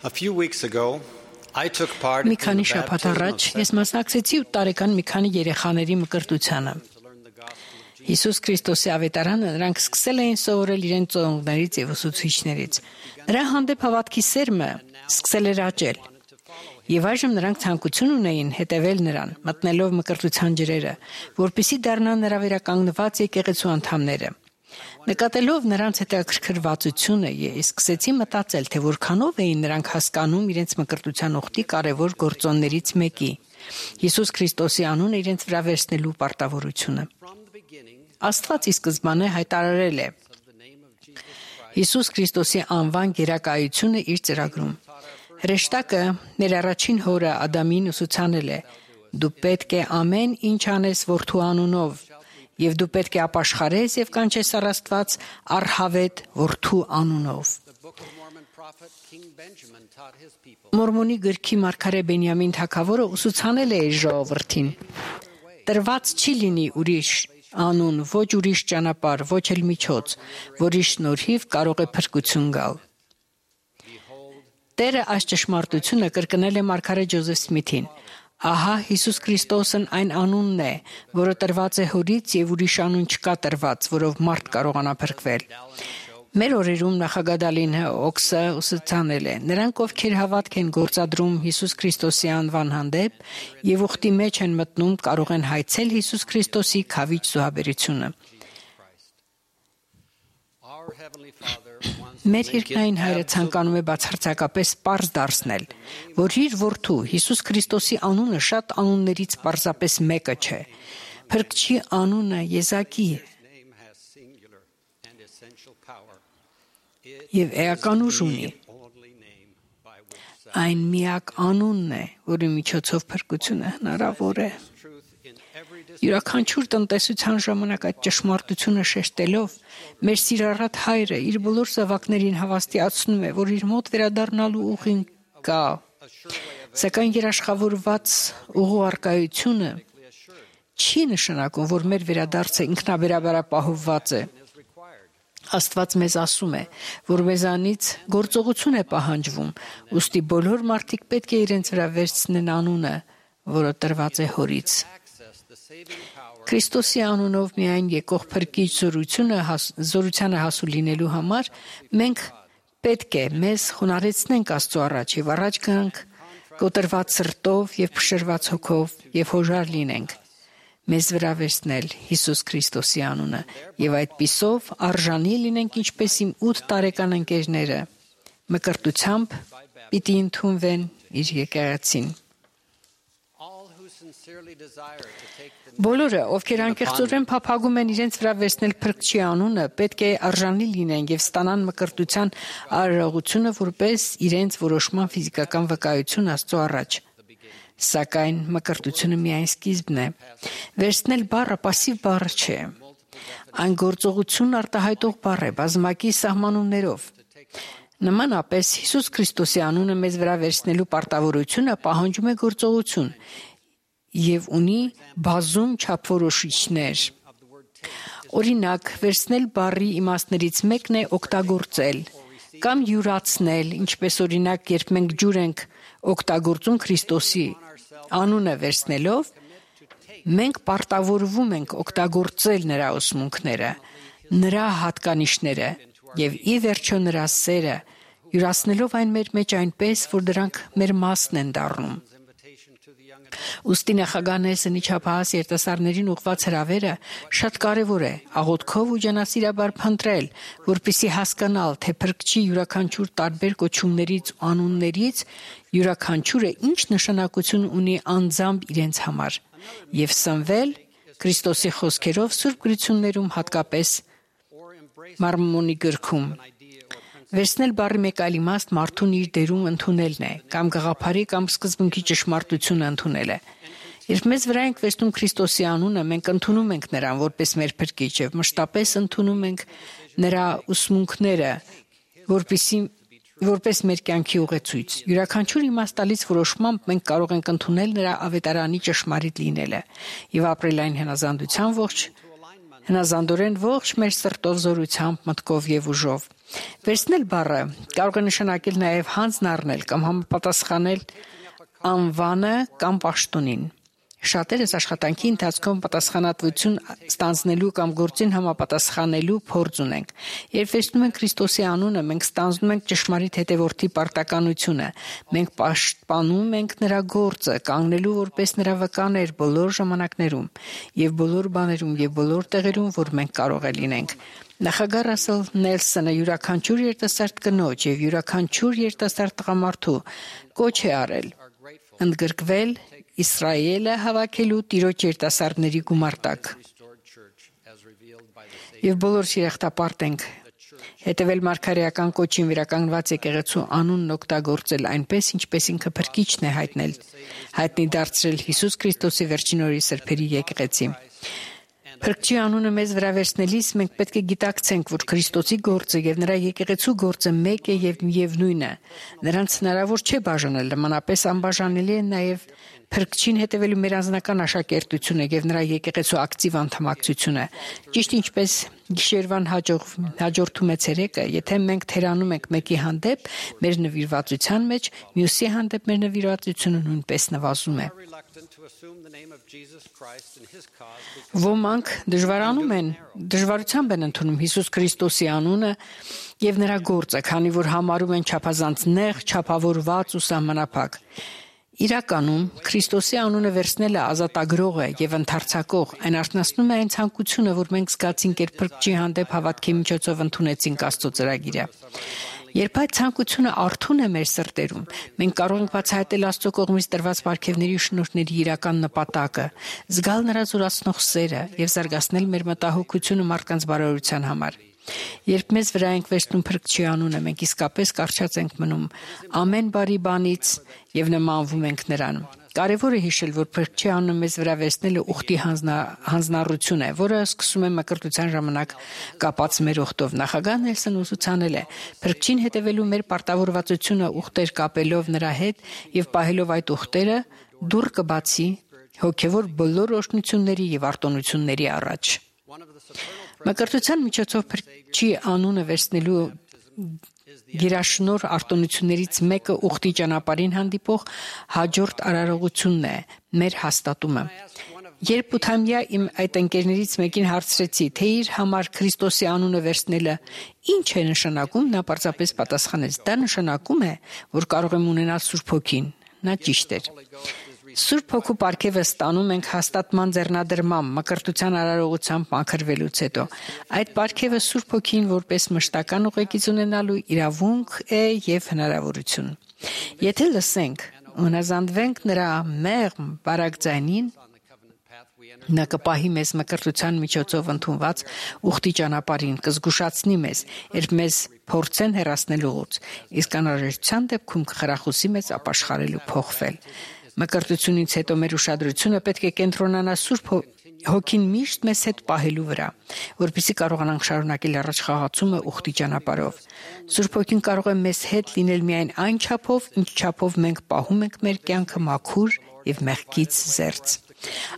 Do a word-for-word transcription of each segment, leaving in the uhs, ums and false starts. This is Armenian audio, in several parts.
A few weeks ago, I took part Մի in քանի the շաբաթ baptism առաջ of ես մասնակցեցի ութ տարեկան մի քանի երեխաների մկրտությանը։ Հիսուս Քրիստոսի ավետարանը նրանք սկսել էին սովորել իրենց ծնողներից եւ ուսուցիչներից։ Նրա հանդեպ հավատքի սերմը սկսել էր աճել։ Եվ այժմ նրանք ցանկություն ունեին հետևել նրան, մտնելով մկրտության ջրերը, որպեսզի դառնան նրա վերականգնված եկեղեցու անդամները։ Նկատելով նրանց հետաքրքրվածությունը, ես սկսեցի մտածել, թե որքանով էին նրանք հասկանում իրենց մկրտության ուխտի կարևոր գործոններից մեկի՝ Հիսուս Քրիստոսի անունը իրենց վրա վերցնելու պարտավորությունը։ Աստված ի սկզբանե հայտարարել է Հիսուս Քրիստոսի անվան գերակայությունը իր ծրագրում։ Հրեշտակը ներառաջին հորը Ադամին ուսուցանել է. դու պետք է ամեն ինչ անես որդու անունով, եւ դու պետք է ապաշխարես եւ կանչես առ Աստված առհավետ որդու անունով։ Մորմոնի գրքի մարգարե Բենյամին թագավորը ուսուցանել է իր ժողովրդին. տրված չի լինի ուրիշ անուն, ոչ ուրիշ ճանապարհ, ոչ էլ միջոց, որի շնորհիվ կարող է փրկություն գալ։ Տերը այս ճշմարտությունը կրկնել է մարգարե Ջոզեֆ Սմիթին. Ահա Հիսուս Քրիստոսն այն անունն է, որը տրված է հորից եւ ուրիշ անուն չկա տրված, որով մարդ կարողանա փրկվել։ Մեր օրերում նախագահ Օքսը ուսուցանել է. նրանք, ովքեր հավատք են գործադրում Հիսուս Քրիստոսի անվան հանդեպ եւ ուխտի մեջ են մտնում, կարող են հայցել Հիսուս Քրիստոսի քավիչ զոհաբերությունը։ Մեր երկնային Հայրը ցանկանում է բացարձակապես պարզ դարձնել, որ իր որդու Հիսուս Քրիստոսի անունը շատ անուններից պարզապես մեկը չէ։ Փրկչի անունը եզակի է եւ էական ուժ ունի։ Այն միակ անունն է, որի միջոցով փրկությունը հնարավոր է։ Յուրաքանչյուր տնտեսության ժամանակ այդ ճշմարտությունը շեշտելով, մեր սիրառատ Հայրը իր բոլոր զավակներին հավաստիացնում է, որ իր մոտ վերադառնալու ուղին կա, սակայն երաշխավորված ուղու արկայությունը չի նշանակում, որ մեր վերադարձը ինքնաբերաբար ապահովված է։ Աստված մեզ ասում է, որ մեզանից գործողություն է պահանջվում, ուստի բոլոր մարդիկ պետք է իրենց վրա վերցնեն անունը, որը տրված է հորից։ Քրիստոսի անունով միայն եկող փրկիչ զորությունը զորությանը հասու լինելու համար մենք պետք է մեզ խոնարհեցնենք Աստծո առաջ եւ առաջ գանք կոտրված սրտով եւ փշրված հոգով եւ հոժար լինենք մեզ վրա վերցնել Հիսուս Քրիստոսի անունը եւ այդպիսով արժանի լինենք ինչպես իմ ութ տարեկան ընկերները մկրտությամբ պիտի ընդունվեն իր եկեղեցին։ Բոլորը, ովքեր անկեղծորեն փափագում են իրենց վրա վերցնել փրկչի անունը, պետք է արժանի լինեն եւ ստանան մկրտության արարողությունը որպես իրենց որոշման ֆիզիկական վկայություն Աստծո առաջ։ Սակայն մկրտությունը միայն սկիզբն է։ Վերցնել բառը պասիվ բառ չէ։ Այն գործողություն արտահայտող բառ է բազմակի սահմանումներով։ Նմանապես Հիսուս Քրիստոսի անունը մեզ վրա վերցնելու պարտավորությունը պահանջում է գործողություն եւ ունի բազում չափորոշիչներ։ Օրինակ, վերցնել բառի իմաստներից մեկն է օգտագործել կամ յուրացնել, ինչպես օրինակ, երբ մենք ջուր ենք օգտագործում Քրիստոսի անունը վերցնելով, մենք պարտավորվում ենք օգտագործել նրա ուսմունքները, նրա հատկանիշները եւ ի վերջո նրա սերը, յուրացնելով այն մեր մեջ այնպես, որ դրանք մեր մասն են դառնում։ Ուստի նախագահն իչափահաս երիտասարդներին ուղղված հրավերը շատ կարևոր է աղոթքով ու ջանասիրաբար փնտրել, որպեսզի հասկանալ, թե փրկչի յուրաքանչյուր տարբեր կոչումներից ու անուններից յուրաքանչյուրը ինչ նշանակություն ունի անձամբ իրենց համար եւ սնվել Քրիստոսի խոսքերով Սուրբ Գրություններում հատկապես Մարմոնի գրքում։ Վերցնել բառի մեկ այլ իմաստ մարդուն իր դերում ընդունելն է, կամ գաղափարի կամ սկզբունքի ճշմարտությունը ընդունելը։ Երբ մեզ վրա ենք վերցնում Քրիստոսի անունը, մենք ընդունում ենք նրան որպես մեր փրկիչ եւ մշտապես ընդունում ենք նրա ուսմունքները, որպեսզի որպես մեր կյանքի ուղեցույց։ Յուրաքանչյուր իմաստալից որոշմամբ մենք կարող ենք ընդունել նրա ավետարանի ճշմարիտ լինելը եւ ապրել այն հնազանդության ողջ հնազանդորեն ողջ մեր սրտով, զորությամբ, մտքով եւ ուժով։ Վերցնել բառը կարող է նշանակել նաեւ հանձն առնել կամ համապատասխանել անվանը կամ պաշտոնին։ Շատերս աշխատանքի ընթացքում պատասխանատվություն ստանձնելու կամ գործին համապատասխանելու փորձ ունենք։ Երբ վերցնում ենք Քրիստոսի անունը, մենք ստանձնում ենք ճշմարիտ հետևորդի պարտականությունը։ Մենք պաշտպանում ենք նրա գործը, կանգնելու որպես նրա վկաներ բոլոր ժամանակներում եւ բոլոր բաներում եւ բոլոր տեղերում, որ մենք կարող է լինենք։ Նախագահ Ռասել Նելսոնը յուրաքանչյուր երիտասարդ կնոջ եւ յուրաքանչյուր երիտասարդ տղամարդու կոչ է արել ընդգրկվել Իսրայելը հավաքելու Տիրոջ երիտասարդների գումարտակ։ Եվ բոլոր շիրախտապարտ ենք հետևել մարգարեական կոչին վերականգնված եկեղեցու անունն օգտագործել այնպես, ինչպես ինքը փրկիչն է հայտնել, հայտնի դարձրել Հիսուս Քրիստոսի վերջին օրի սրբերի եկեղեցի։ Փրկչի անունը մեզ վրա վերցնելիս մենք պետք է գիտակցենք, որ Քրիստոսի գործը եւ նրա եկեղեցու գործը մեկ է եւ միևնույն է։ Նրանց հնարավոր չէ բաժանել, նմանապես անբաժանելի է նաեւ Փրկչին հետևելու մեր անձնական աշակերտությունը եւ նրա եկեղեցու ակտիվ անդամակցությունը։ Ճիշտ ինչպես գիշերվան հաջող հաջորդում է ցերեկը, եթե մենք թերանում ենք մեկի հանդեպ մեր նվիրվածության մեջ, մյուսի հանդեպ մեր նվիրվածությունը նույնպես նվազում է։ Ոմանք դժվարանում են, դժվարությամբ են ընդունում Հիսուս Քրիստոսի անունը եւ նրա գործը, քանի որ համարում են չափազանց նեղ, չափավորված ու սահմանափակ։ Իրականում Քրիստոսի անունը վերցնելը ազատագրող է եւ ընդարձակող, այն արտնասնում է այն ցանկությունը, որ մենք զգացինք, երբ Փրկչի հանդեպ հավատքի միջոցով ընդունեցինք Աստծո ծրագիրը։ Երբ այդ ցանկությունը արթուն է մեր սրտերում, մենք կարող ենք բացահայտել Աստծո կողմից տրված պարգևների ու շնորհների իրական նպատակը, զգալ նրա զորացնող սերը եւ զարգացնել մեր մտահոգությունը մարդկանց բարօրության համար։ Երբ մեզ վրա ենք վերցնում Փրկչի անունը, մենք իսկապես կարճած ենք մնում ամեն բարի բանից եւ նմանվում ենք նրան։ Կարևոր է հիշել, որ Փրկչի անունը մեզ վրա վերցնելը ուխտի հանձնառություն է, որը սկսում է մկրտության ժամանակ կապած մեր ուխտով։ Նախագահ Նելսոնը ուսուցանել է. Փրկչին հետևելու մեր պարտավորվածությունը ուխտեր կապելով նրա հետ եւ պահելով այդ ուխտերը դուռ կբացի հոգեվոր բոլոր օրհնությունների եւ արտոնությունների առաջ։ Մկրտության միջոցով Փրկչի անունը վերցնելու գերաշնոր արտոնություններից մեկը ուխտի ճանապարհին հանդիպող հաջորդ արարողությունն է, մեր հաստատումը։ Երբ ութամյա իմ այդ ընկերներից մեկին հարցրեցի, թե իր համար Քրիստոսի անունը վերցնելը ինչ է նշանակում, նա պարզապես պատասխանեց. դա նշանակում է, որ կարող եմ ունենալ Սուրբ Հոգին։ Նա ճիշտ էր։ Սուրբ Հոգու պարգևը ստանում ենք հաստատման ձեռնադրմամբ, մկրտության արարողությամբ մաքրվելուց հետո։ Այդ պարգևը Սուրբ Հոգին որպես մշտական ուղեկից ունենալու իրավունք է եւ հնարավորություն։ Եթե լսենք, հնազանդվենք նրա մեղմ բարակ ձայնին, նա կպահի մեզ մկրտության միջոցով ընդունված ուխտի ճանապարհին, կզգուշացնի մեզ, երբ մեզ փորձեն հեռացնել ուղուց, իսկ անհրաժեշտության դեպքում կխրախուսի մեզ ապաշխարել ու փոխվել։ Մկրտությունից հետո մեր ուշադրությունը պետք է կենտրոնանա Սուրբ Հոգին միշտ մեզ հետ պահելու վրա, որպեսզի կարողանանք շարունակել առաջխաղացումը ուխտի ճանապարհով։ Սուրբ Հոգին կարող է մեզ հետ լինել միայն այն չափով, ինչ չափով մենք պահում ենք մեր կյանքը մաքուր եւ մեղքից զերծ։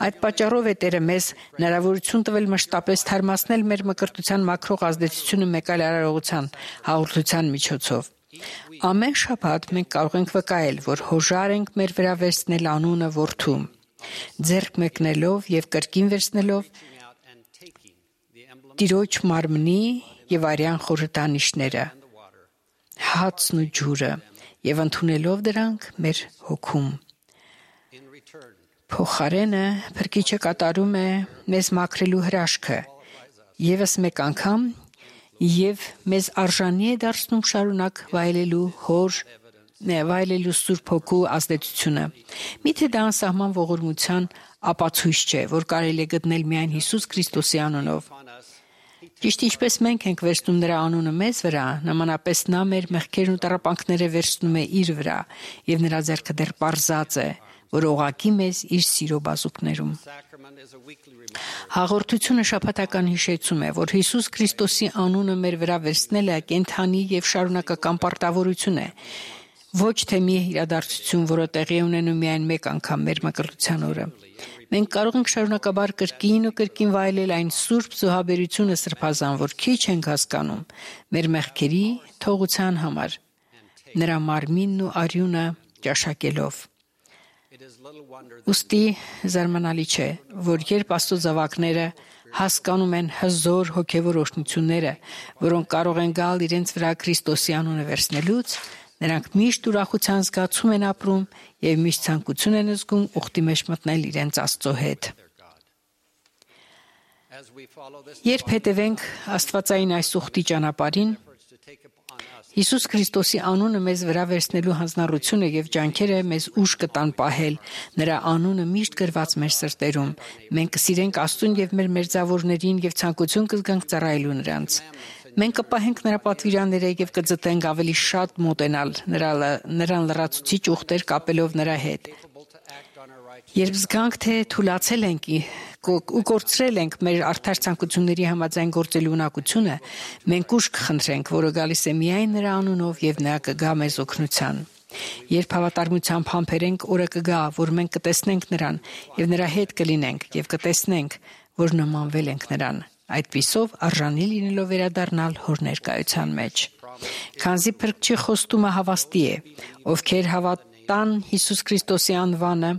Այդ պատճառով է Տերը մեզ հնարավորություն տվել մշտապես թարմացնել մեր մկրտության մաքրող ազդեցությունը մեկ այլ արարողության հաղորդության միջոցով։ Ամեն շաբաթ մենք կարող ենք վկայել, որ հոժար ենք մեր վրա վերցնել անունը Որդու, ձեռք մեկնելով եւ կրկին վերցնելով Տիրոջ մարմնի եւ արյան խորհրդանիշները, հացն ու ջուրը եւ ընդունելով դրանք մեր հոգում։ Փոխարենը Փրկիչը կատարում է մեզ մաքրելու հրաշքը եւս մեկ անգամ եւ մեզ արժանի է դարձնում շարունակ վայելելու հոր վայելելու Սուրբ Հոգու ազդեցությունը։ Միթե դա անսահման ողորմության ապացույց չէ, որ կարելի է գտնել միայն Հիսուս Քրիստոսի անունով։ Ճիշտ ինչպես մենք ենք վերցնում նրա անունը մեզ վրա, նմանապես նա մեր մեղքերն ու տառապանքները վերցնում է իր վրա, եւ նրա ձեռքը դեռ պարզած է, որ օղակի մեզ իր սիրո բազուկներում։ Հաղորդությունը շաբաթական հիշեցում է, որ Հիսուս Քրիստոսի անունը մեր վրա վերցնելը կենդանի եւ շարունակական պարտավորություն է, Ոչ թե մի իրադարձություն, որը տեղի է ունենում միայն մեկ անգամ մեր մկրտության օրը։ Մենք կարող ենք շարունակաբար կրկին ու կրկին վայելել այն սուրբ զոհաբերությունը սրբազան, որ քիչ ենք հասկանում մեր մեղքերի թողության համար, նրա մարմինն ու արյունը ճաշակելով։ Ոստի զարմանալի չէ, որ երբ Աստծո զավակները հասկանում են հզոր հոգևոր օրհնությունները, որոնք կարող են գալ իրենց վրա Քրիստոսի անունը վերցնելուց, նրանք միշտ ուրախության զգացում են ապրում եւ միշտ ցանկություն են զգում ուխտի մեջ մտնել իրենց Աստծո հետ։ Երբ հետևենք Աստվածային այս ուխտի ճանապարհին, Հիսուս Քրիստոսի անունը մեզ վրա վերցնելու հանձնառությունը եւ ջանքերը մեզ ուժ կտան պահել նրա անունը միշտ գրված մեր սրտերում։ Մենք կսիրենք Աստծուն եւ մեր մերձավորներին եւ ցանկություն կզգանք ծառայելու նրանց։ Մենք կպահենք նրա պատվիրանները եւ կձգտենք ավելի շատ մոտենալ նրան լրացուցիչ ուխտեր կապելով նրա հետ։ Երբ զգանք, թե թուլացել ենք ու կորցրել ենք մեր արդար ցանկությունների համաձայն գործելու ունակությունը, մենք ուժ կխնդրենք, որը գալիս է միայն նրա անունով եւ նա կգա մեզ օգնության։ Երբ հավատարմությամբ համբերենք, օրը կգա, որ մենք կտեսնենք նրան եւ նրա հետ կլինենք եւ կտեսնենք, որ նմանվել ենք նրան, այդպիսով արժանի լինելով վերադառնալ հոր ներկայության մեջ։ Քանզի փրկչի խոստումը հավաստի է, ովքեր հավատան Հիսուս Քրիստոսի անվանը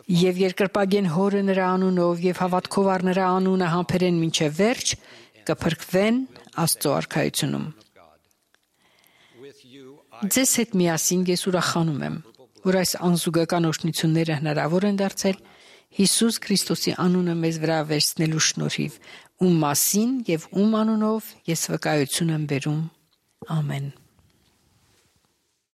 եւ երկրպագեն հորը նրա անունով եւ հավատքով առ նրա անունը համբերեն մինչեւ վերջ, կփրկվեն Աստծո արքայությունում։ Ձեզ հետ միասին ես ուրախանում եմ, որ այս անզուգական օրհնությունները հնարավոր են դարձել Հիսուս Քրիստոսի անունը մեզ վրա վերցնելու շնորհիվ, ում մասին եւ ում անունով ես վկայություն եմ բերում։ Ամեն։